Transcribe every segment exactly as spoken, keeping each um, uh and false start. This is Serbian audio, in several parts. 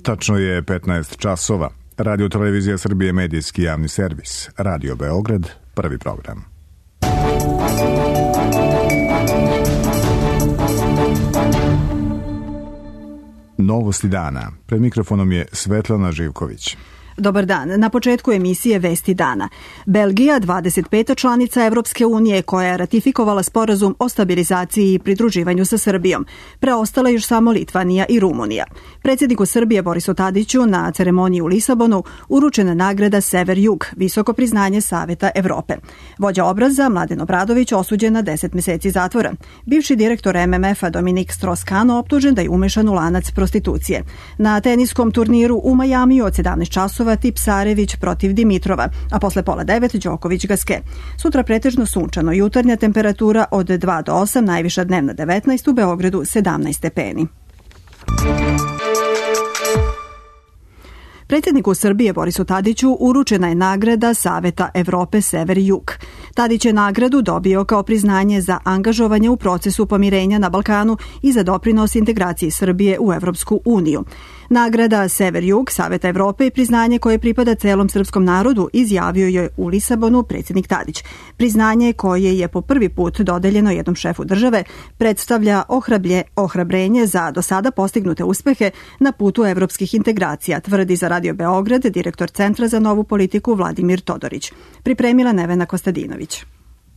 Tačno je petnaest časova. Radio Televizija Srbije, medijski javni servis. Radio Beograd, prvi program. Novosti dana. Pred mikrofonom je Svetlana Živković. Dobar dan. Na početku emisije Vesti dana. Belgija, dvadeset peta članica Evropske unije koja je ratifikovala sporazum o stabilizaciji i pridruživanju sa Srbijom. Preostala još samo Litvanija i Rumunija. Predsjedniku Srbije Borisu Tadiću na ceremoniji u Lisabonu uručena nagrada Sever-Jug, visoko priznanje Saveta Evrope. Vođa obraza Mladen Obradović osuđen na deset meseci zatvora. Bivši direktor em em ef-a Dominik Strauss-Kahn optužen da je umešan u lanac prostitucije. Na teniskom turniru u Majamiju od sedamnaest časova Tipsarević protiv Dimitrova, a posle pola devet Đoković Gaske. Sutra pretežno sunčano, jutarnja temperatura od dva do osam, najviša dnevna devetnaest, u Beogradu sedamnaest stepeni. Predsjedniku Srbije Borisu Tadiću uručena je nagrada Saveta Evrope Sever-Jug. Tadić je nagradu dobio kao priznanje za angažovanje u procesu pomirenja na Balkanu i za doprinos integraciji Srbije u Evropsku uniju. Nagrada Sever-Jug Saveta Evrope i priznanje koje pripada celom srpskom narodu, izjavio je u Lisabonu predsjednik Tadić. Priznanje koje je po prvi put dodeljeno jednom šefu države predstavlja ohrablje, ohrabrenje za do sada postignute uspehe na putu evropskih integracija, tvrdi za Radio Beograd direktor Centra za novu politiku Vladimir Todorić. Pripremila Nevena Kostadinović.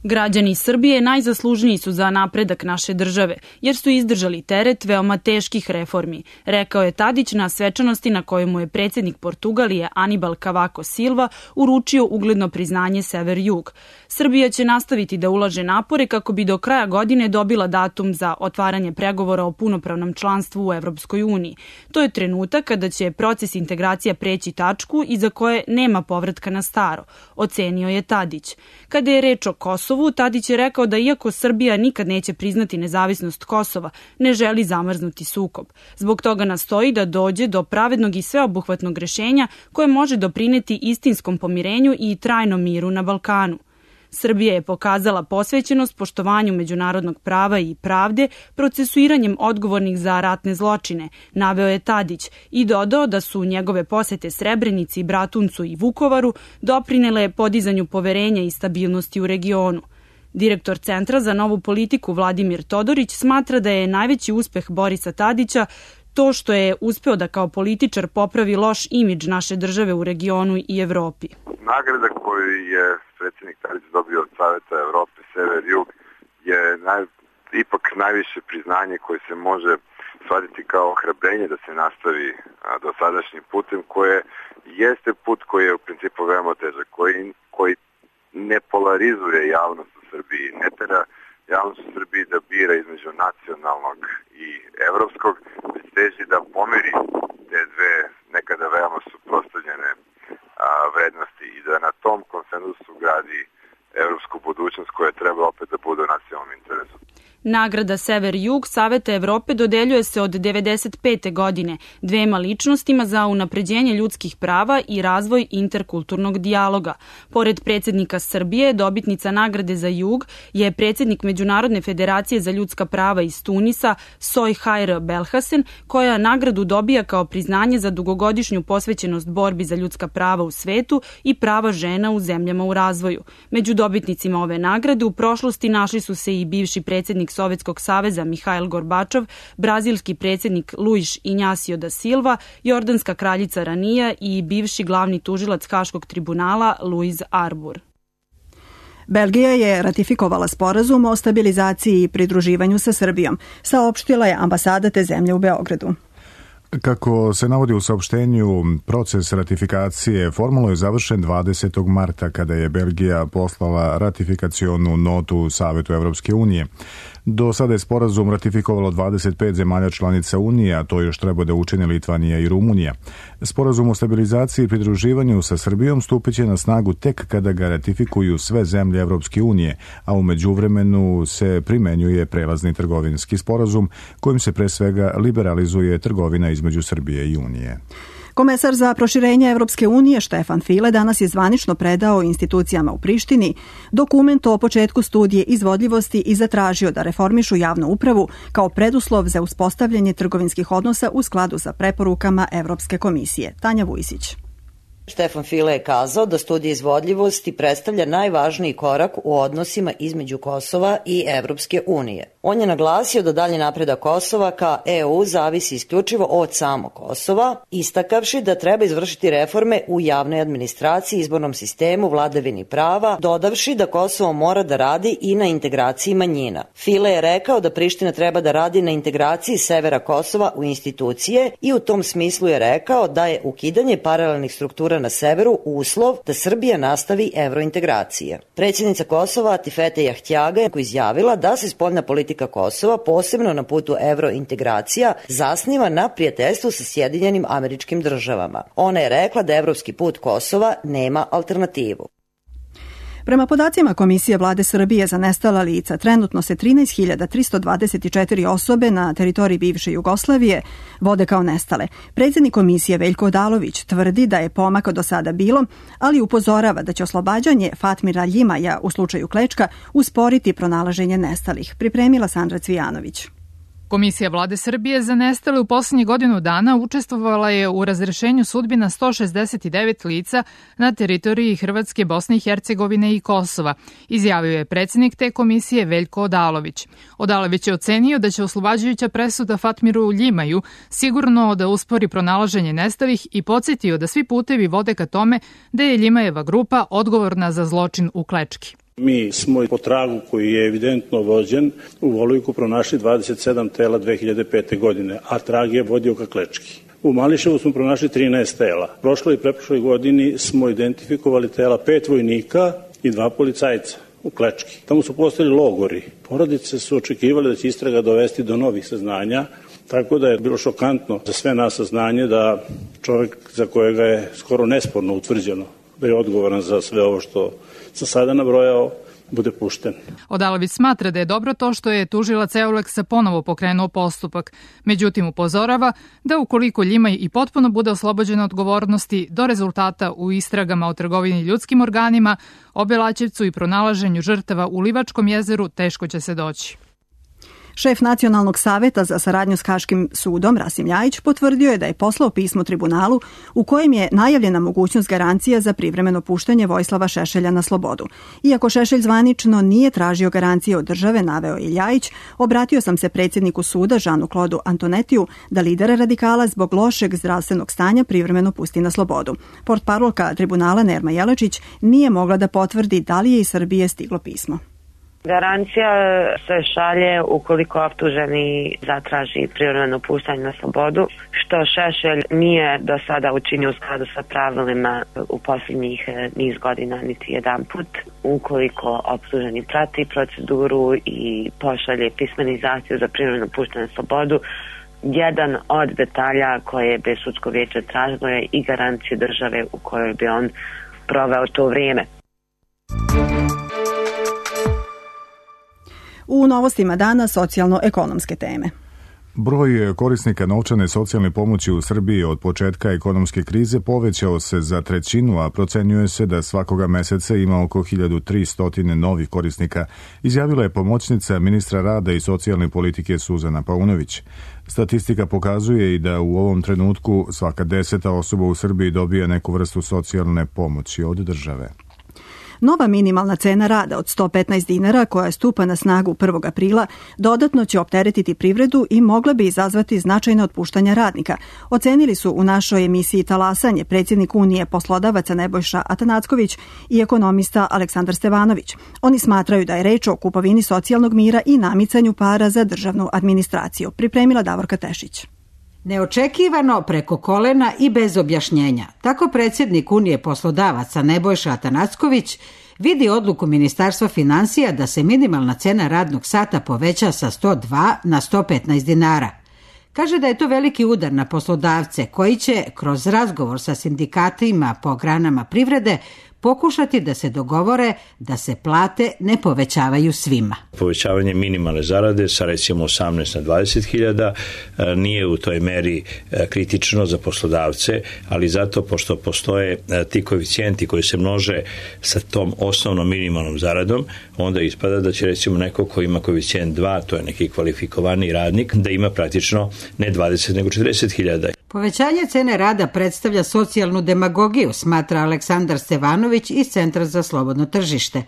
Građani Srbije najzaslužniji su za napredak naše države, jer su izdržali teret veoma teških reformi, rekao je Tadić na svečanosti na kojoj mu je predsjednik Portugalije Anibal Cavaco Silva uručio ugledno priznanje Sever-Jug. Srbija će nastaviti da ulaže napore kako bi do kraja godine dobila datum za otvaranje pregovora o punopravnom članstvu u Evropskoj uniji. To je trenutak kada će proces integracija preći tačku i za koje nema povratka na staro, ocenio je Tadić. Kada je reč o Kosovu, Tadić je rekao da iako Srbija nikad neće priznati nezavisnost Kosova, ne želi zamrznuti sukob. Zbog toga nastoji da dođe do pravednog i sveobuhvatnog rešenja koje može doprineti istinskom pomirenju i trajnom miru na Balkanu. Srbija je pokazala posvećenost poštovanju međunarodnog prava i pravde procesuiranjem odgovornih za ratne zločine, naveo je Tadić i dodao da su njegove posete Srebrenici, Bratuncu i Vukovaru doprinele podizanju poverenja i stabilnosti u regionu. Direktor Centra za novu politiku Vladimir Todorić smatra da je najveći uspeh Borisa Tadića to što je uspeo da kao političar popravi loš imidž naše države u regionu i Evropi. Nagrada koju je predsjednik Tadić dobio od Saveta Evrope Sever-Jug je naj, ipak najviše priznanje koje se može shvatiti kao ohrabrenje da se nastavi a, dosadašnjim putem, koje jeste put koji je u principu veoma težak, koji, koji ne polarizuje javnost u Srbiji, ne tera javnost u Srbiji da bira između nacionalnog i evropskog, već teži da pomeri te dve nekada veoma suprotstavljene vrednosti i da na tom konsenzusu gradi evropsku budućnost koja treba opet da bude u nacionalnom interesu. Nagrada Sever-Jug Saveta Evrope dodeljuje se od devedeset pete godine dvema ličnostima za unapređenje ljudskih prava i razvoj interkulturnog dijaloga. Pored predsjednika Srbije, dobitnica nagrade za Jug je predsjednik Međunarodne federacije za ljudska prava iz Tunisa, Soy Hayr Belhasen, koja nagradu dobija kao priznanje za dugogodišnju posvećenost borbi za ljudska prava u svetu i prava žena u zemljama u razvoju. Među dobitnicima ove nagrade u prošlosti našli su se i bivši predsjednik Sovjetskog saveza Mihail Gorbačov, brazilski predsjednik Luis Inhacio da Silva, jordanska kraljica Ranija i bivši glavni tužilac Haškog tribunala Luis Arbur. Belgija je ratifikovala sporazum o stabilizaciji i pridruživanju sa Srbijom, saopštila je ambasada te zemlje u Beogradu. Kako se navodi u saopštenju, proces ratifikacije formalno je završen dvadesetog marta kada je Belgija poslala ratifikacionu notu Savetu Evropske unije. Do sada je sporazum ratifikovalo dvadeset pet zemalja članica Unije, a to još treba da učine Litvanija i Rumunija. Sporazum o stabilizaciji i pridruživanju sa Srbijom stupit će na snagu tek kada ga ratifikuju sve zemlje Evropske unije, a u međuvremenu se primenjuje prelazni trgovinski sporazum kojim se pre svega liberalizuje trgovina između Srbije i Unije. Komesar za proširenje Evropske unije Štefan File danas je zvanično predao institucijama u Prištini dokument o početku studije izvodljivosti i zatražio da reformišu javnu upravu kao preduslov za uspostavljanje trgovinskih odnosa u skladu sa preporukama Evropske komisije. Tanja Vujsić. Štefan File je kazao da studija izvodljivosti predstavlja najvažniji korak u odnosima između Kosova i Evropske unije. On je naglasio da dalji napredak Kosova ka E U zavisi isključivo od samog Kosova, istakavši da treba izvršiti reforme u javnoj administraciji, izbornom sistemu, vladavini prava, dodavši da Kosovo mora da radi i na integraciji manjina. File je rekao da Priština treba da radi na integraciji severa Kosova u institucije i u tom smislu je rekao da je ukidanje paralelnih struktura na severu uslov da Srbija nastavi evrointegracije. Predsjednica Kosova Atifete Jahtjaga je izjavila da se spoljna politika Kosova, posebno na putu evrointegracija, zasniva na prijateljstvu sa Sjedinjenim Američkim Državama. Ona je rekla da evropski put Kosova nema alternativu. Prema podacima Komisije Vlade Srbije za nestala lica, trenutno se trinaest hiljada tristo dvadeset četiri osobe na teritoriji bivše Jugoslavije vode kao nestale. Predsjednik Komisije Veljko Odalović tvrdi da je pomaka do sada bilo, ali upozorava da će oslobađanje Fatmira Ljimaja u slučaju Klečka usporiti pronalaženje nestalih. Pripremila Sandra Cvijanović. Komisija Vlade Srbije za nestale u poslednjih godinu dana učestvovala je u razrešenju sudbina sto šezdeset devet lica na teritoriji Hrvatske, Bosne i Hercegovine i Kosova, izjavio je predsjednik te komisije Veljko Odalović. Odalović je ocenio da će oslobađajuća presuda Fatmiru Ljimaju sigurno da uspori pronalaženje nestalih i podsjetio da svi putevi vode ka tome da je Ljimajeva grupa odgovorna za zločin u Klečki. Mi smo po tragu koji je evidentno vođen u Volujku pronašli dvadeset sedam tela dve hiljade pete. godine, a trag je vodio ka Klečki. U Mališevu smo pronašli trinaest tela. Prošloj i preprošloj godini smo identifikovali tela pet vojnika i dva policajca u Klečki. Tamo su postali logori. Porodice su očekivali da će istraga dovesti do novih saznanja, tako da je bilo šokantno za sve nas saznanje da čovjek za kojega je skoro nesporno utvrđeno da je odgovoran za sve ovo što sam sada nabrojao, bude pušten. Odalović smatra da je dobro to što je tužilac Euleksa ponovo pokrenuo postupak. Međutim, upozorava da ukoliko Ljimaj i potpuno bude oslobođen odgovornosti do rezultata u istragama o trgovini ljudskim organima, Obelaćevcu i pronalaženju žrtava u Livačkom jezeru teško će se doći. Šef Nacionalnog saveta za saradnju s Haškim sudom, Rasim Ljajić, potvrdio je da je poslao pismo tribunalu u kojem je najavljena mogućnost garancija za privremeno puštanje Vojislava Šešelja na slobodu. Iako Šešelj zvanično nije tražio garancije od države, naveo je Ljajić, obratio sam se predsjedniku suda Žanu Klodu Antonetiju da lidera radikala zbog lošeg zdravstvenog stanja privremeno pusti na slobodu. Portparolka tribunala Nerma Jelačić nije mogla da potvrdi da li je iz Srbije stiglo pismo. Garancija se šalje ukoliko optuženi zatraži privremeno puštanje na slobodu, što Šešelj nije do sada učinio u skladu sa pravilima u posljednjih niz godina niti jedan put. Ukoliko optuženi prati proceduru i pošalje pismeni zahtjev za privremeno puštanje na slobodu, jedan od detalja koje bi sudsko vijeće tražilo je i garanciju države u kojoj bi on proveo to vrijeme. U novostima dana socijalno-ekonomske teme. Broj korisnika novčane socijalne pomoći u Srbiji od početka ekonomske krize povećao se za trećinu, a procenjuje se da svakoga meseca ima oko hiljadu tristo novih korisnika, izjavila je pomoćnica ministra rada i socijalne politike Suzana Paunović. Statistika pokazuje i da u ovom trenutku svaka deseta osoba u Srbiji dobija neku vrstu socijalne pomoći od države. Nova minimalna cena rada od sto petnaest dinara koja stupa na snagu prvog aprila dodatno će opteretiti privredu i mogla bi izazvati značajne otpuštanja radnika. Ocenili su u našoj emisiji Talasanje predsjednik Unije poslodavaca Nebojša Atanacković i ekonomista Aleksandar Stevanović. Oni smatraju da je reč o kupovini socijalnog mira i namicanju para za državnu administraciju. Pripremila Davorka Tešić. Neočekivano, preko kolena i bez objašnjenja. Tako predsjednik Unije poslodavaca Nebojša Atanacković vidi odluku Ministarstva finansija da se minimalna cena radnog sata poveća sa sto dva na sto petnaest dinara. Kaže da je to veliki udar na poslodavce koji će kroz razgovor sa sindikatima po granama privrede pokušati da se dogovore da se plate ne povećavaju svima. Povećavanje minimalne zarade sa recimo osamnaest na dvadeset hiljada nije u toj meri kritično za poslodavce, ali zato pošto postoje ti koeficijenti koji se množe sa tom osnovnom minimalnom zaradom, onda ispada da će recimo neko ko ima koeficijent dva, to je neki kvalifikovani radnik, da ima praktično ne dvadeset nego četrdeset hiljada. Povećanje cene rada predstavlja socijalnu demagogiju, smatra Aleksandar Stevanović iz Centra za slobodno tržište.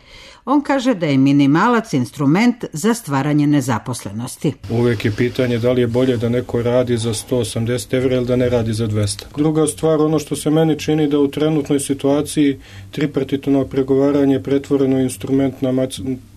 On kaže da je minimalac instrument za stvaranje nezaposlenosti. Uvek je pitanje da li je bolje da neko radi za sto osamdeset evra ili da ne radi za dvesta. Druga stvar, ono što se meni čini da u trenutnoj situaciji tripartitno pregovaranje je pretvoreno u instrument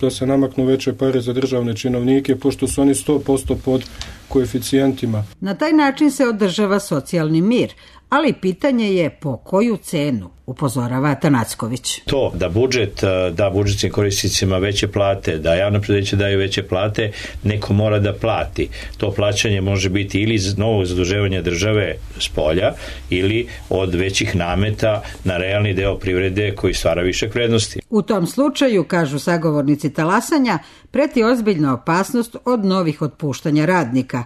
da se namaknu veće pare za državne činovnike, pošto su oni sto posto pod koeficijentima. Na taj način se održava socijalni mir, ali pitanje je po koju cenu, upozorava Atanacković. To da budžet da budžetskim korisnicima veće plate, da javna preduzeća daju veće plate, neko mora da plati. To plaćanje može biti ili iz novog zaduživanja države s polja ili od većih nameta na realni deo privrede koji stvara višak vrednosti. U tom slučaju, kažu sagovornici talasanja, preti ozbiljna opasnost od novih otpuštanja radnika.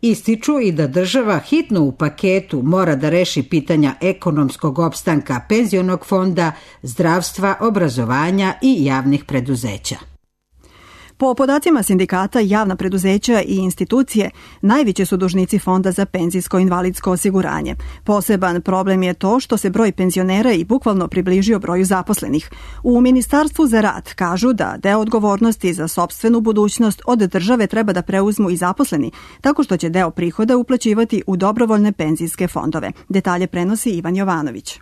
Ističu i da država hitno u paketu mora da reši pitanja ekonomskog opstanka penzionog fonda, zdravstva, obrazovanja i javnih preduzeća. Po podacima sindikata, javna preduzeća i institucije najveći su dužnici Fonda za penzijsko-invalidsko osiguranje. Poseban problem je to što se broj penzionera i bukvalno približio broju zaposlenih. U Ministarstvu za rad kažu da deo odgovornosti za sopstvenu budućnost od države treba da preuzmu i zaposleni, tako što će deo prihoda uplaćivati u dobrovoljne penzijske fondove. Detalje prenosi Ivan Jovanović.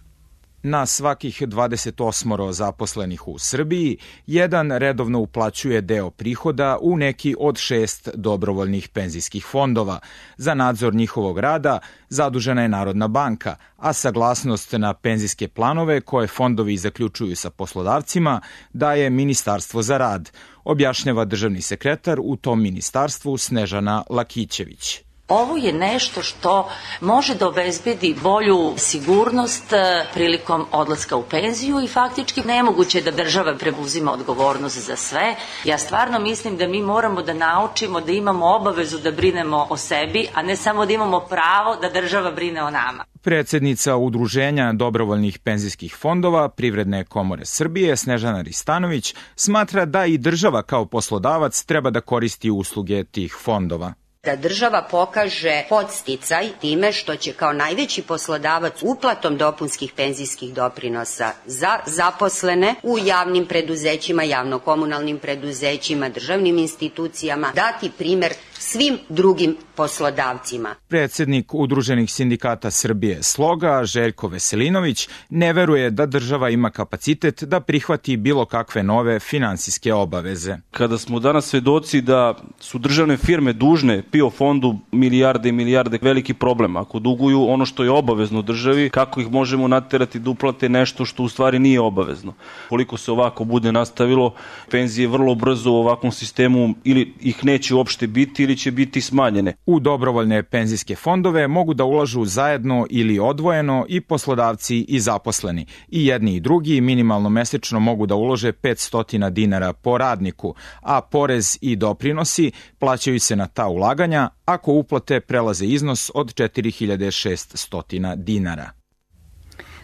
Na svakih dvadeset osam zaposlenih u Srbiji, jedan redovno uplaćuje deo prihoda u neki od šest dobrovoljnih penzijskih fondova. Za nadzor njihovog rada zadužena je Narodna banka, a saglasnost na penzijske planove koje fondovi zaključuju sa poslodavcima daje Ministarstvo za rad, objašnjava državni sekretar u tom ministarstvu Snežana Lakićević. Ovo je nešto što može da obezbedi bolju sigurnost prilikom odlaska u penziju i faktički nemoguće je da država preuzima odgovornost za sve. Ja stvarno mislim da mi moramo da naučimo da imamo obavezu da brinemo o sebi, a ne samo da imamo pravo da država brine o nama. Predsednica Udruženja dobrovoljnih penzijskih fondova Privredne komore Srbije, Snežana Ristanović, smatra da i država kao poslodavac treba da koristi usluge tih fondova. Da država pokaže podsticaj time što će kao najveći poslodavac uplatom dopunskih penzijskih doprinosa za zaposlene u javnim preduzećima, javno-komunalnim preduzećima, državnim institucijama dati primer svim drugim poslodavcima. Predsednik Udruženih sindikata Srbije Sloga, Željko Veselinović, ne veruje da država ima kapacitet da prihvati bilo kakve nove finansijske obaveze. Kada smo danas svedoci da su državne firme dužne P I O fondu milijarde i milijarde, veliki problem. Ako duguju ono što je obavezno državi, kako ih možemo naterati da uplate nešto što u stvari nije obavezno? Koliko se ovako bude nastavilo, penzije vrlo brzo u ovakvom sistemu ili ih neće uopšte biti ili će biti smanjene. U dobrovoljne penzijske fondove mogu da ulažu zajedno ili odvojeno i poslodavci i zaposleni. I jedni i drugi minimalno mesečno mogu da ulože petsto dinara po radniku, a porez i doprinosi plaćaju se na ta ulaganja ako uplate prelaze iznos od četiri hiljade šeststo dinara.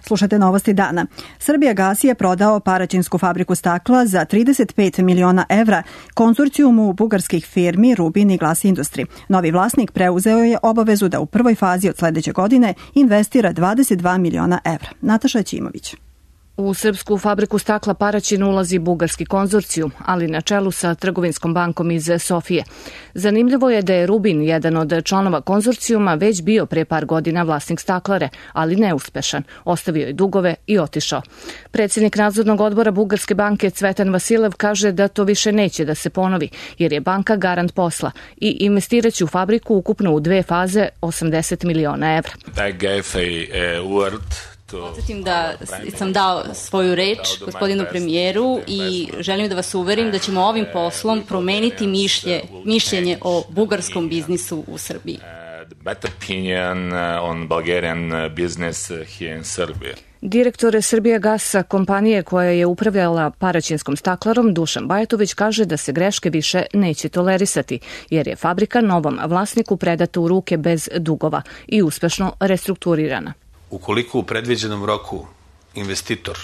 Slušate novosti dana. Srbijagas je prodao Paraćinsku fabriku stakla za trideset pet miliona evra konzorcijumu bugarskih firmi Rubin i Glas Industri. Novi vlasnik preuzeo je obavezu da u prvoj fazi od sledeće godine investira dvadeset dva miliona evra. Nataša Ćimović. U srpsku fabriku stakla Paraćin ulazi bugarski konzorcijum, ali na čelu sa trgovinskom bankom iz Sofije. Zanimljivo je da je Rubin, jedan od članova konzorcijuma, već bio pre par godina vlasnik staklare, ali neuspešan. Ostavio je dugove i otišao. Predsjednik nadzornog odbora Bugarske banke Cvetan Vasilev kaže da to više neće da se ponovi, jer je banka garant posla i investiraće u fabriku ukupno u dve faze osamdeset miliona evra. I gave a, a word Podsjetim da sam dao svoju reč gospodinu premijeru i želim da vas uverim da ćemo ovim poslom promeniti mišlje, mišljenje o bugarskom biznisu u Srbiji. Better opinion on Bulgarian business here in Serbia. Direktor Srbijagasa, kompanije koja je upravljala Paraćinskom staklarom, Dušan Bajatović, kaže da se greške više neće tolerisati, jer je fabrika novom vlasniku predata u ruke bez dugova i uspešno restrukturirana. Ukoliko u predviđenom roku investitor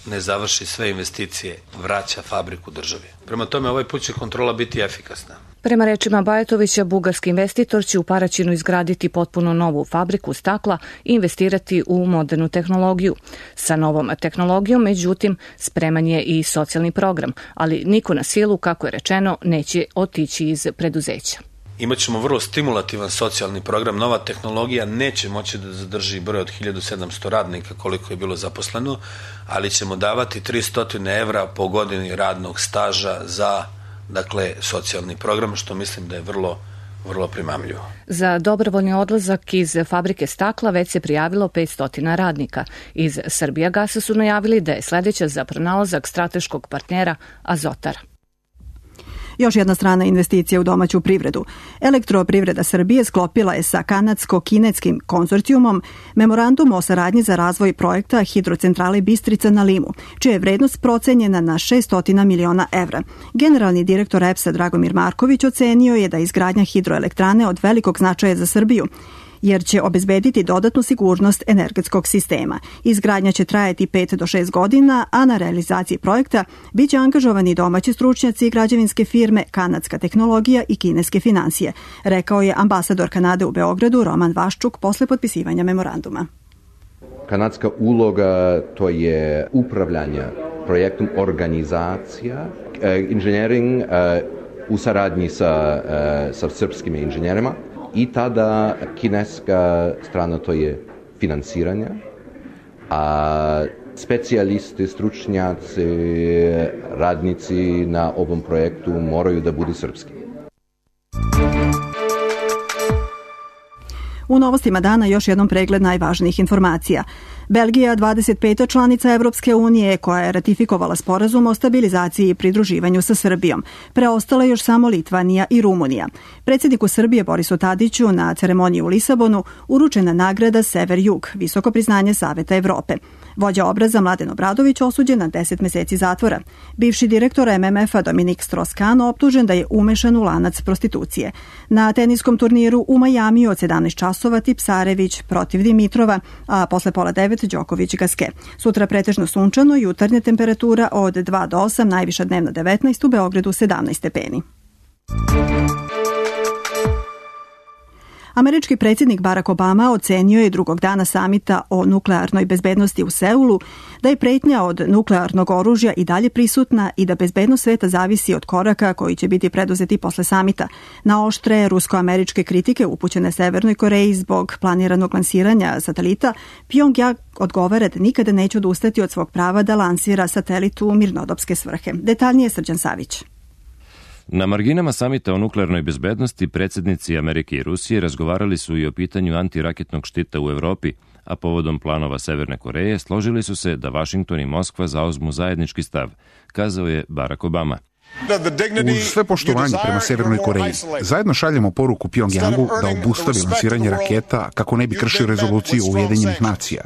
ne završi sve investicije, vraća fabriku državi. Prema tome, ovaj put će kontrola biti efikasna. Prema rečima Bajatovića, bugarski investitor će u Paraćinu izgraditi potpuno novu fabriku stakla i investirati u modernu tehnologiju. Sa novom tehnologijom, međutim, spreman je i socijalni program, ali niko na silu, kako je rečeno, neće otići iz preduzeća. Imaćemo vrlo stimulativan socijalni program. Nova tehnologija neće moći da zadrži broj od hiljadu sedamsto radnika koliko je bilo zaposleno, ali ćemo davati tristo evra po godini radnog staža za dakle socijalni program, što mislim da je vrlo vrlo primamljivo. Za dobrovoljni odlazak iz fabrike stakla već se prijavilo petsto radnika. Iz Srbijagasa su najavili da je sledeća za pronalazak strateškog partnera Azotara. Još jedna strana investicija u domaću privredu. Elektroprivreda Srbije sklopila je sa kanadsko-kinetskim konzorcijumom memorandum o saradnji za razvoj projekta hidrocentrale Bistrica na Limu, čija je vrednost procenjena na šesto miliona evra. Generalni direktor E P S-a Dragomir Marković ocenio je da je izgradnja hidroelektrane od velikog značaja za Srbiju, jer će obezbediti dodatnu sigurnost energetskog sistema. Izgradnja će trajati pet do šest godina, a na realizaciji projekta biće angažovani domaći stručnjaci i građevinske firme, kanadska tehnologija i kineske finansije, rekao je ambasador Kanade u Beogradu Roman Vaščuk posle potpisivanja memoranduma. Kanadska uloga to je upravljanje projektom, organizacija, inženjering u saradnji sa, sa srpskim inženjerima. I tada kineska strana to je finansiranje, a specijalisti, stručnjaci, radnici na ovom projektu moraju da budu srpski. U novostima dana još jednom pregled najvažnijih informacija. Belgija, dvadeset peta članica Evropske unije, koja je ratifikovala sporazum o stabilizaciji i pridruživanju sa Srbijom. Preostala još samo Litvanija i Rumunija. Predsjedniku Srbije Borisu Tadiću na ceremoniji u Lisabonu uručena nagrada Sever-Jug, visoko priznanje Saveta Evrope. Vođa obraza Mladen Obradović osuđen na deset meseci zatvora. Bivši direktor M M F-a Dominik Strauss-Kahn optužen da je umešan u lanac prostitucije. Na teniskom turniru u Majamiju od sedamnaest časova Tipsarević protiv Dimitrova, a posle pola devet Đoković Gaske. Sutra pretežno sunčano, jutarnja temperatura od dva do osam, najviša dnevna devetnaest, u Beogradu sedamnaest stepeni. Američki predsjednik Barack Obama ocenio je drugog dana samita o nuklearnoj bezbednosti u Seulu da je pretnja od nuklearnog oružja i dalje prisutna i da bezbednost sveta zavisi od koraka koji će biti preduzeti posle samita. Na oštre rusko-američke kritike upućene Severnoj Koreji zbog planiranog lansiranja satelita, Pyongyang odgovara da nikada neće odustati od svog prava da lansira satelit u mirnodopske svrhe. Detaljnije Srđan Savić. Na marginama samita o nuklearnoj bezbednosti predsjednici Amerike i Rusije razgovarali su i o pitanju antiraketnog štita u Evropi, a povodom planova Severne Koreje složili su se da Vašington i Moskva zauzmu zajednički stav, kazao je Barack Obama. Uz sve poštovanje prema Severnoj Koreji, zajedno šaljemo poruku Pyongyangu da obustavi lansiranje raketa kako ne bi kršio rezoluciju Ujedinjenih nacija.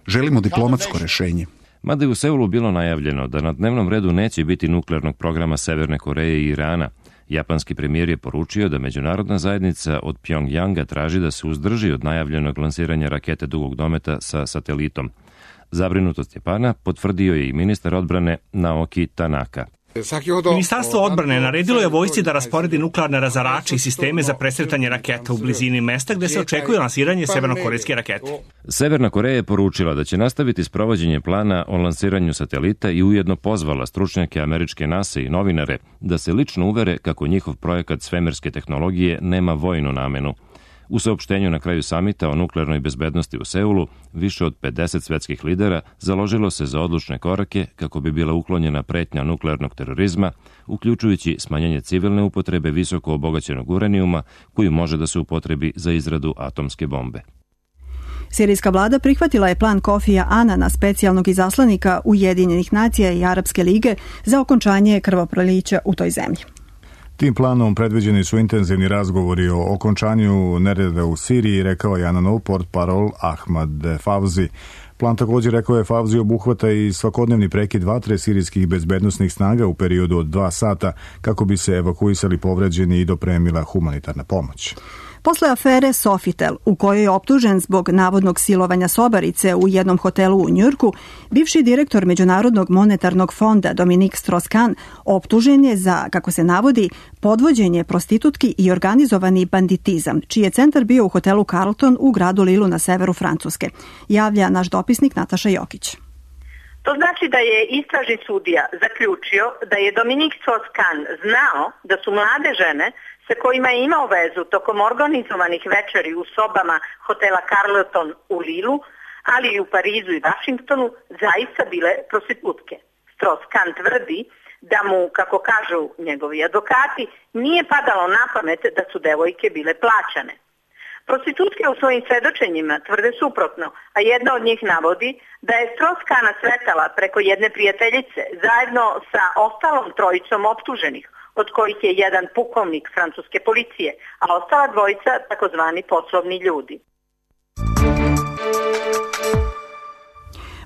Želimo diplomatsko rešenje. Mada je u Seulu bilo najavljeno da na dnevnom redu neće biti nuklearnog programa Severne Koreje i Irana, japanski premijer je poručio da međunarodna zajednica od Pyongyanga traži da se uzdrži od najavljenog lansiranja rakete dugog dometa sa satelitom. Zabrinutost Japana potvrdio je i ministar odbrane Naoki Tanaka. Ministarstvo odbrane naredilo je vojsci da rasporedi nuklearne razarače i sisteme za presretanje raketa u blizini mesta gde se očekuje lansiranje severnokorejske rakete. Severna Koreja je poručila da će nastaviti sprovođenje plana o lansiranju satelita i ujedno pozvala stručnjake američke NASA i novinare da se lično uvere kako njihov projekat svemirske tehnologije nema vojnu namenu. U saopštenju na kraju samita o nuklearnoj bezbednosti u Seulu, više od pedeset svetskih lidera založilo se za odlučne korake kako bi bila uklonjena pretnja nuklearnog terorizma, uključujući smanjenje civilne upotrebe visoko obogaćenog uranijuma koji može da se upotrebi za izradu atomske bombe. Sirijska vlada prihvatila je plan Kofija Anana, specijalnog izaslanika Ujedinjenih nacija i Arapske lige, za okončanje krvoprolića u toj zemlji. Tim planom predviđeni su intenzivni razgovori o okončanju nereda u Siriji, rekao je Ananov portparol Ahmad Favzi. Plan također, rekao je Favzi, obuhvata i svakodnevni prekid vatre sirijskih bezbednosnih snaga u periodu od dva sata kako bi se evakuisali povređeni i dopremila humanitarna pomoć. Posle afere Sofitel, u kojoj je optužen zbog navodnog silovanja sobarice u jednom hotelu u Njujorku, bivši direktor Međunarodnog monetarnog fonda Dominik Strauss-Kahn optužen je za, kako se navodi, podvođenje prostitutki i organizovani banditizam, čiji je centar bio u hotelu Carlton u gradu Lilu na severu Francuske, javlja naš dopisnik Nataša Jokić. To znači da je istražni sudija zaključio da je Dominik Strauss-Kahn znao da su mlade žene sa kojima je imao vezu tokom organizovanih večeri u sobama hotela Carlton u Lilu, ali i u Parizu i Vašingtonu, zaista bile prostitutke. Strauss-Kahn tvrdi da mu, kako kažu njegovi advokati, nije padalo na pamet da su devojke bile plaćane. Prostitutke u svojim svedočenjima tvrde suprotno, a jedna od njih navodi da je Strauss-Kahna sretala preko jedne prijateljice zajedno sa ostalom trojicom optuženih, od kojih je jedan pukovnik francuske policije, a ostala dvojica takozvani poslovni ljudi.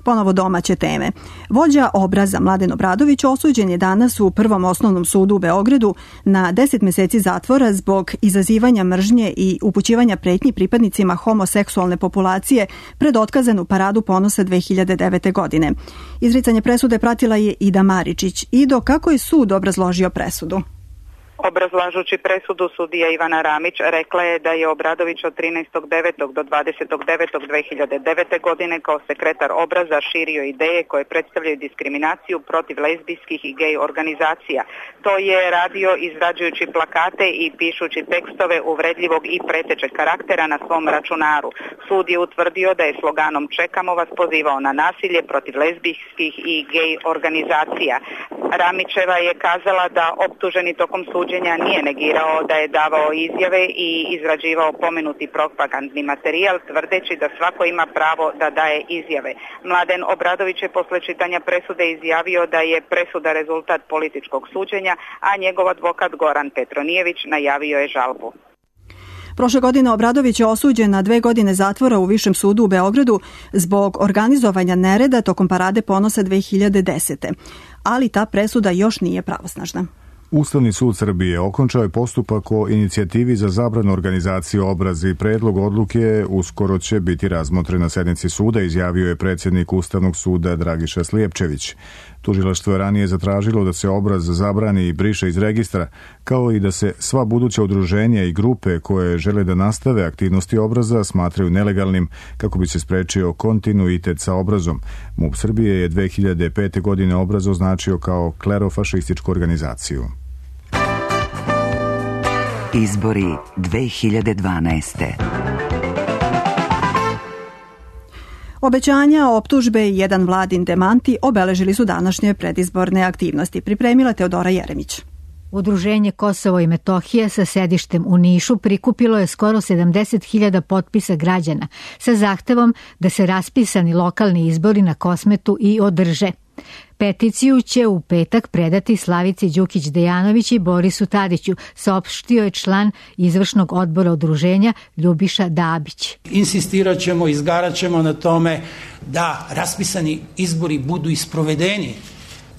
Ponovo domaće teme. Vođa Obraza Mladen Obradović osuđen je danas u Prvom osnovnom sudu u Beogradu na deset meseci zatvora zbog izazivanja mržnje i upućivanja pretnji pripadnicima homoseksualne populacije pred otkazanu paradu ponosa dve hiljade devete. godine. Izricanje presude pratila je Ida Maričić. Ido, kako je sud obrazložio presudu? Obrazlažući presudu, sudija Ivana Ramić rekla je da je Obradović od trinaestog devetog do dvadesetog devetog dve hiljade devete. godine kao sekretar Obraza širio ideje koje predstavljaju diskriminaciju protiv lezbijskih i gej organizacija. To je radio izrađujući plakate i pišući tekstove uvredljivog i pretečeg karaktera na svom računaru. Sud je utvrdio da je sloganom Čekamo vas pozivao na nasilje protiv lezbijskih i gej organizacija. Ramićeva je kazala da optuženi tokom suđenja nije negirao da je davao izjave i izrađivao pomenuti propagandni materijal, tvrdeći da svako ima pravo da daje izjave. Mladen Obradović je posle čitanja presude izjavio da je presuda rezultat političkog suđenja, a njegov advokat Goran Petronijević najavio je žalbu. Prošle godine Obradović je osuđen na dve godine zatvora u Višem sudu u Beogradu zbog organizovanja nereda tokom parade ponosa dve hiljade desete. Ali ta presuda još nije pravosnažna. Ustavni sud Srbije okončao je postupak o inicijativi za zabranu organizacije Obrazi. Predlog odluke uskoro će biti razmotren na sednici suda, izjavio je predsjednik Ustavnog suda Dragiša Slijepčević. Tužilaštvo je ranije zatražilo da se Obraz zabrani i briše iz registra, kao i da se sva buduća udruženja i grupe koje žele da nastave aktivnosti Obraza smatraju nelegalnim kako bi se sprečio kontinuitet sa Obrazom. MUP Srbije je dve hiljade pete. godine Obraz označio kao klerofašističku organizaciju. Izbori dve hiljade dvanaeste. Obećanja, optužbe i jedan vladin demanti obeležili su današnje predizborne aktivnosti. Pripremila Teodora Jeremić. Udruženje Kosovo i Metohija sa sedištem u Nišu prikupilo je skoro sedamdeset hiljada potpisa građana sa zahtevom da se raspisani lokalni izbori na Kosmetu i održe. Peticiju će u petak predati Slavici Đukić-Dejanović i Borisu Tadiću, saopštio je član izvršnog odbora udruženja Ljubiša Dabić. Insistirat ćemo, izgarat ćemo na tome da raspisani izbori budu isprovedeni.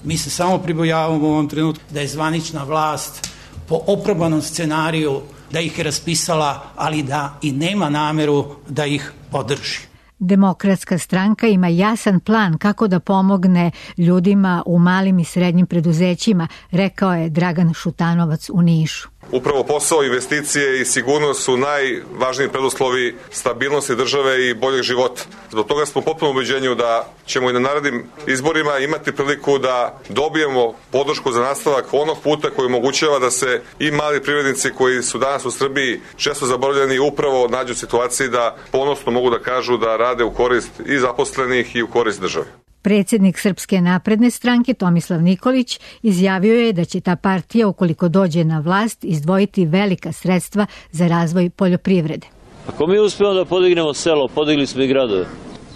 Mi se samo pribojavamo u ovom trenutku da je zvanična vlast po oprobanom scenariju da ih je raspisala, ali da i nema nameru da ih održi. Demokratska stranka ima jasan plan kako da pomogne ljudima u malim i srednjim preduzećima, rekao je Dragan Šutanovac u Nišu. Upravo posao, investicije i sigurnost su najvažniji preduslovi stabilnosti države i boljeg života. Zbog toga smo potpuno ubeđenju da ćemo i na narednim izborima imati priliku da dobijemo podršku za nastavak onog puta koji omogućava da se i mali privrednici koji su danas u Srbiji često zaboravljeni upravo nađu u situaciji da ponosno mogu da kažu da rade u korist i zaposlenih i u korist države. Predsjednik Srpske napredne stranke Tomislav Nikolić izjavio je da će ta partija, ukoliko dođe na vlast, izdvojiti velika sredstva za razvoj poljoprivrede. Ako mi uspijemo da podignemo selo, podigli smo i gradove.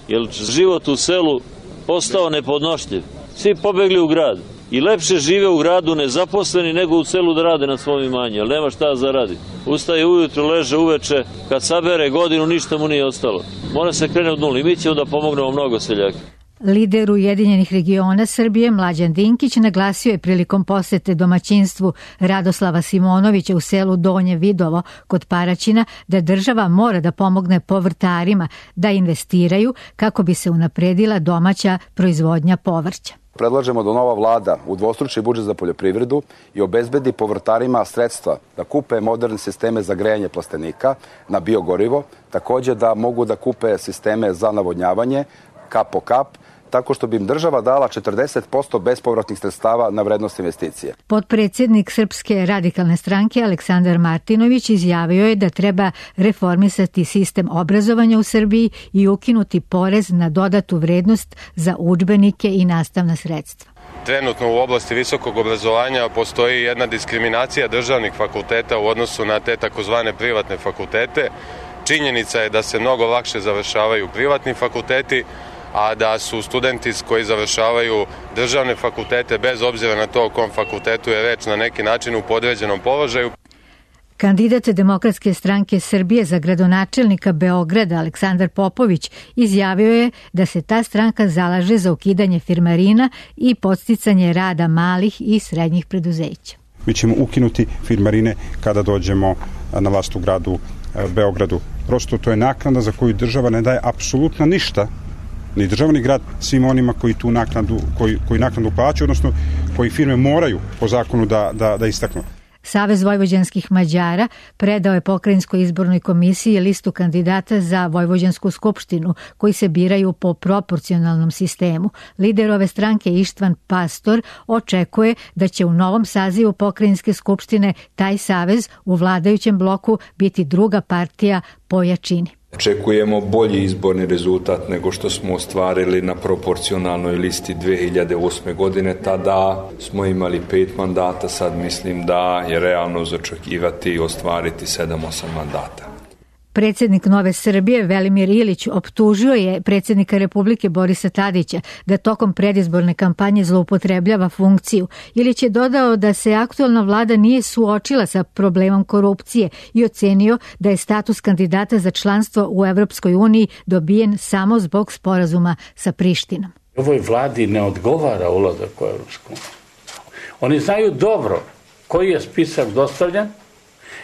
Jer život u selu postao nepodnošljiv. Svi pobegli u grad. I lepše žive u gradu nezaposleni nego u selu da rade na svom imanju, ali nema šta da radi. Ustaje ujutro, leže uveče, kad sabere godinu ništa mu nije ostalo. Mora se krene od nuli i mi ćemo da pomognemo mnogo seljaka. Lider Ujedinjenih regiona Srbije Mlađan Dinkić naglasio je prilikom posete domaćinstvu Radoslava Simonovića u selu Donje Vidovo kod Paraćina da država mora da pomogne povrtarima da investiraju kako bi se unapredila domaća proizvodnja povrća. Predlažemo da nova vlada udvostruči budžet za poljoprivredu i obezbedi povrtarima sredstva da kupe moderne sisteme za grejanje plastenika na biogorivo, takođe da mogu da kupe sisteme za navodnjavanje kap po kap, tako što bi im država dala četrdeset posto bespovratnih sredstava na vrednost investicije. Potpredsjednik Srpske radikalne stranke Aleksandar Martinović izjavio je da treba reformisati sistem obrazovanja u Srbiji i ukinuti porez na dodatu vrednost za udžbenike i nastavna sredstva. Trenutno u oblasti visokog obrazovanja postoji jedna diskriminacija državnih fakulteta u odnosu na te takozvane privatne fakultete. Činjenica je da se mnogo lakše završavaju privatni fakulteti, a da su studenti koji završavaju državne fakultete, bez obzira na to o kom fakultetu je reč, na neki način u podređenom položaju. Kandidat Demokratske stranke Srbije za gradonačelnika Beograda Aleksandar Popović izjavio je da se ta stranka zalaže za ukidanje firmarina i podsticanje rada malih i srednjih preduzeća. Mi ćemo ukinuti firmarine kada dođemo na vlast u gradu Beogradu. Prosto to je naknada za koju država ne daje apsolutno ništa, ni država ni grad, svim onima koji tu naknadu, koji, koji naknadu plaćaju, odnosno koji firme moraju po zakonu da, da, da istaknu. Savez vojvođanskih Mađara predao je Pokrajinskoj izbornoj komisiji listu kandidata za Vojvođansku skupštinu koji se biraju po proporcionalnom sistemu. Lider ove stranke Ištvan Pastor očekuje da će u novom sazivu Pokrajinske skupštine taj savez u vladajućem bloku biti druga partija po jačini. Očekujemo bolji izborni rezultat nego što smo ostvarili na proporcionalnoj listi dve hiljade osme godine. Tada smo imali pet mandata, sad mislim da je realno za očekivati i ostvariti sedam osam mandata. Predsjednik Nove Srbije Velimir Ilić optužio je predsjednika Republike Borisa Tadića da tokom predizborne kampanje zloupotrebljava funkciju. Ilić je dodao da se aktualna vlada nije suočila sa problemom korupcije i ocenio da je status kandidata za članstvo u Evropskoj uniji dobijen samo zbog sporazuma sa Prištinom. Ovoj vladi ne odgovara ulazak u Evropsku uniju. Oni znaju dobro koji je spisak dostavljen,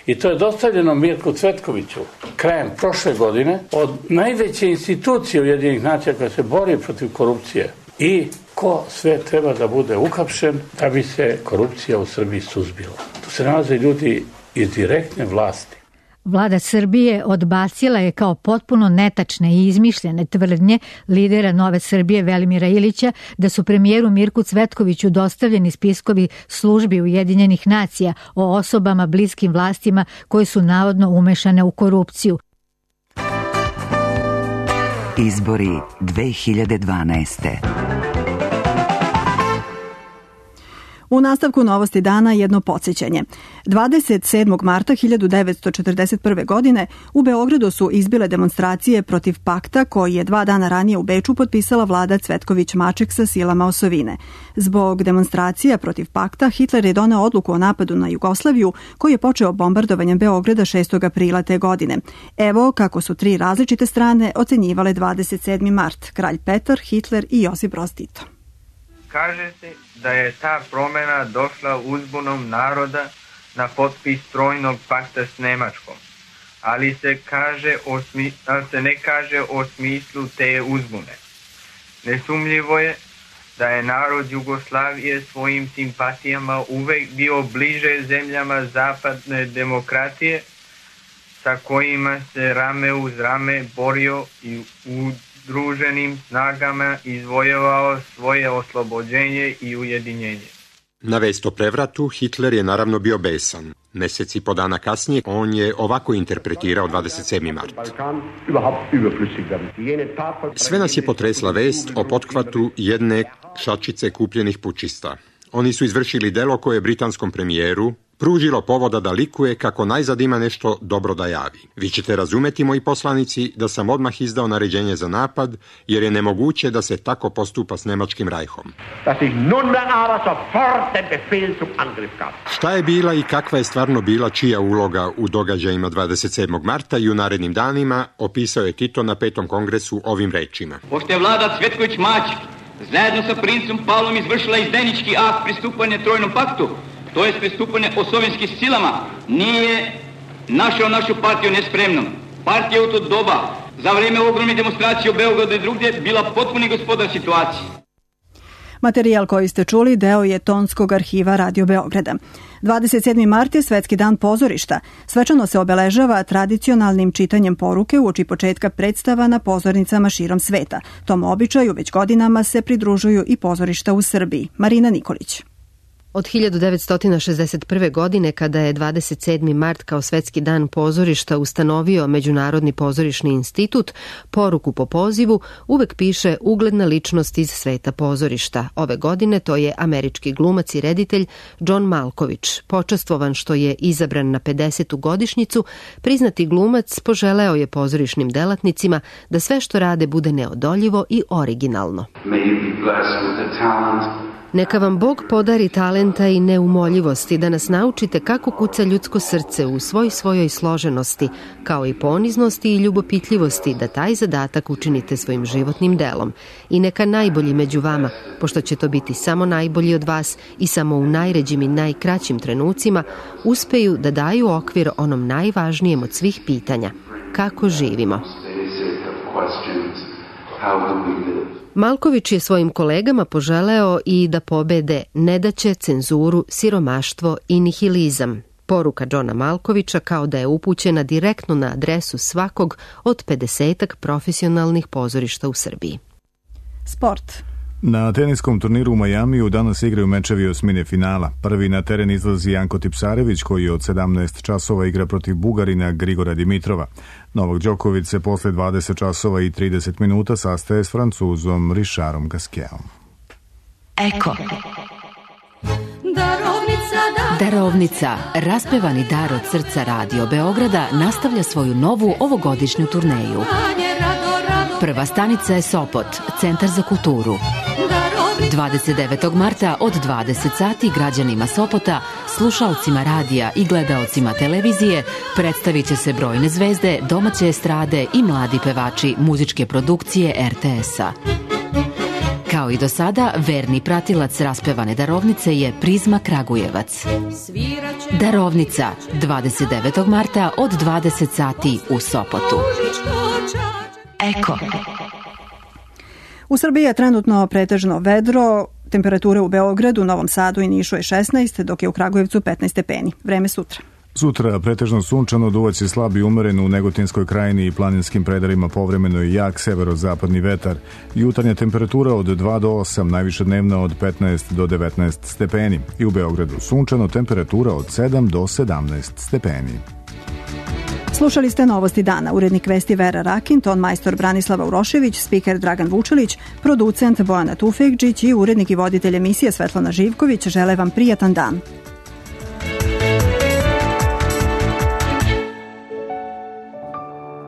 i to je dostavljeno Mirku Cvetkoviću krajem prošle godine od najveće institucije Ujedinjenih nacija koja se bori protiv korupcije i ko sve treba da bude uhapšen da bi se korupcija u Srbiji suzbila. Tu se nalaze ljudi iz direktne vlasti. Vlada Srbije odbacila je kao potpuno netačne i izmišljene tvrdnje lidera Nove Srbije Velimira Ilića da su premijeru Mirku Cvetkoviću dostavljeni spiskovi službi Ujedinjenih nacija o osobama bliskim vlastima koje su navodno umešane u korupciju. Izbori dve hiljade dvanaeste. U nastavku novosti dana jedno podsjećanje. dvadeset sedmog marta hiljadu devetsto četrdeset prve. godine u Beogradu su izbile demonstracije protiv pakta koji je dva dana ranije u Beču potpisala vlada Cvetković-Maček sa silama osovine. Zbog demonstracija protiv pakta Hitler je doneo odluku o napadu na Jugoslaviju koji je počeo bombardovanjem Beograda šestog aprila te godine. Evo kako su tri različite strane ocenjivale dvadeset sedmi mart. Kralj Petar, Hitler i Josip Broz Tito. Kaže se da je ta promjena došla uzbunom naroda na potpis trojnog pakta s Nemačkom, ali se, kaže o smi, ali se ne kaže o smislu te uzbune. Nesumljivo je da je narod Jugoslavije svojim simpatijama uvek bio bliže zemljama zapadne demokratije sa kojima se rame uz rame borio i u druženim snagama izvojevao svoje oslobođenje i ujedinjenje. Na vest o prevratu Hitler je naravno bio besan. Mesec i po dana kasnije on je ovako interpretirao dvadeset sedmi mart. Sve nas je potresla vest o pothvatu jedne šačice kupljenih pučista. Oni su izvršili delo koje je britanskom premijeru, pružilo povoda da likuje kako najzad ima nešto dobro da javi. Vi ćete razumeti, moji poslanici, da sam odmah izdao naređenje za napad, jer je nemoguće da se tako postupa s nemačkim rajhom. Šta je bila i kakva je stvarno bila čija uloga u događajima dvadeset sedmog marta i u narednim danima, opisao je Tito na petom kongresu ovim rečima. Pošto je vlada Cvetković-Mać zajedno sa princem Pavlom izvršila izdajnički akt pristupanja Trojnom paktu, to je pristupanje osovenskim silama, nije našao našu partiju nespremnom. Partija u to doba, za vreme ogromne demonstracije u Beogradu i drugdje, bila potpuni gospodar situacije. Materijal koji ste čuli deo je tonskog arhiva Radio Beograda. dvadeset sedmi mart je Svetski dan pozorišta. Svečano se obeležava tradicionalnim čitanjem poruke uoči početka predstava na pozornicama širom sveta. Tom običaju već godinama se pridružuju i pozorišta u Srbiji. Marina Nikolić. Od hiljadu devetsto šezdeset prve. godine, kada je dvadeset sedmi mart kao Svetski dan pozorišta ustanovio Međunarodni pozorišni institut, poruku po pozivu uvek piše ugledna ličnost iz sveta pozorišta. Ove godine to je američki glumac i reditelj John Malkovich. Počastvovan što je izabran na pedesetu godišnjicu, priznati glumac poželeo je pozorišnim delatnicima da sve što rade bude neodoljivo i originalno. Neka vam Bog podari talenta i neumoljivosti da nas naučite kako kuca ljudsko srce u svoj svojoj složenosti, kao i poniznosti i ljubopitljivosti, da taj zadatak učinite svojim životnim delom. I neka najbolji među vama, pošto će to biti samo najbolji od vas i samo u najređim i najkraćim trenucima, uspeju da daju okvir onom najvažnijem od svih pitanja. Kako živimo? Malković je svojim kolegama poželeo i da pobede nedaće, cenzuru, siromaštvo i nihilizam. Poruka Johna Malkovića kao da je upućena direktno na adresu svakog od pedesetak profesionalnih pozorišta u Srbiji. Sport. Na teniskom turniru u Majamiju danas igraju mečevi osmine finala. Prvi na teren izlazi Janko Tipsarević, koji od sedamnaest časova igra protiv Bugarina Grigora Dimitrova. Novak Đoković se posle dvadeset časova i trideset minuta sastaje s Francuzom Richardom Gasquetom. Eko. Darovnica, raspevani dar od srca Radio Beograda, nastavlja svoju novu ovogodišnju turneju. Prva stanica je Sopot, Centar za kulturu. dvadeset devetog marta od dvadeset sati građanima Sopota, slušalcima radija i gledaocima televizije predstavit će se brojne zvezde, domaće estrade i mladi pevači muzičke produkcije er te es-a. Kao i do sada, verni pratilac raspevane darovnice je Prizma Kragujevac. Darovnica, dvadeset devetog marta od dvadeset sati u Sopotu. Eko. U Srbiji je trenutno pretežno vedro, temperature u Beogradu, Novom Sadu i Nišu je šesnaest, dok je u Kragujevcu petnaest stepeni. Vreme sutra. Sutra pretežno sunčano, duvaće slab i umeren u Negotinskoj krajini i planinskim predelima, povremeno i jak severozapadni vetar. Jutarnja temperatura od dva do osam, najviša dnevna od petnaest do devetnaest stepeni. I u Beogradu sunčano, temperatura od sedam do sedamnaest stepeni. Slušali ste Novosti dana, urednik vesti Vera Rakin, ton majstor Branislava Urošević, spiker Dragan Vučelić, producent Bojana Tufekđić i urednik i voditelj emisije Svetlana Živković žele vam prijatan dan.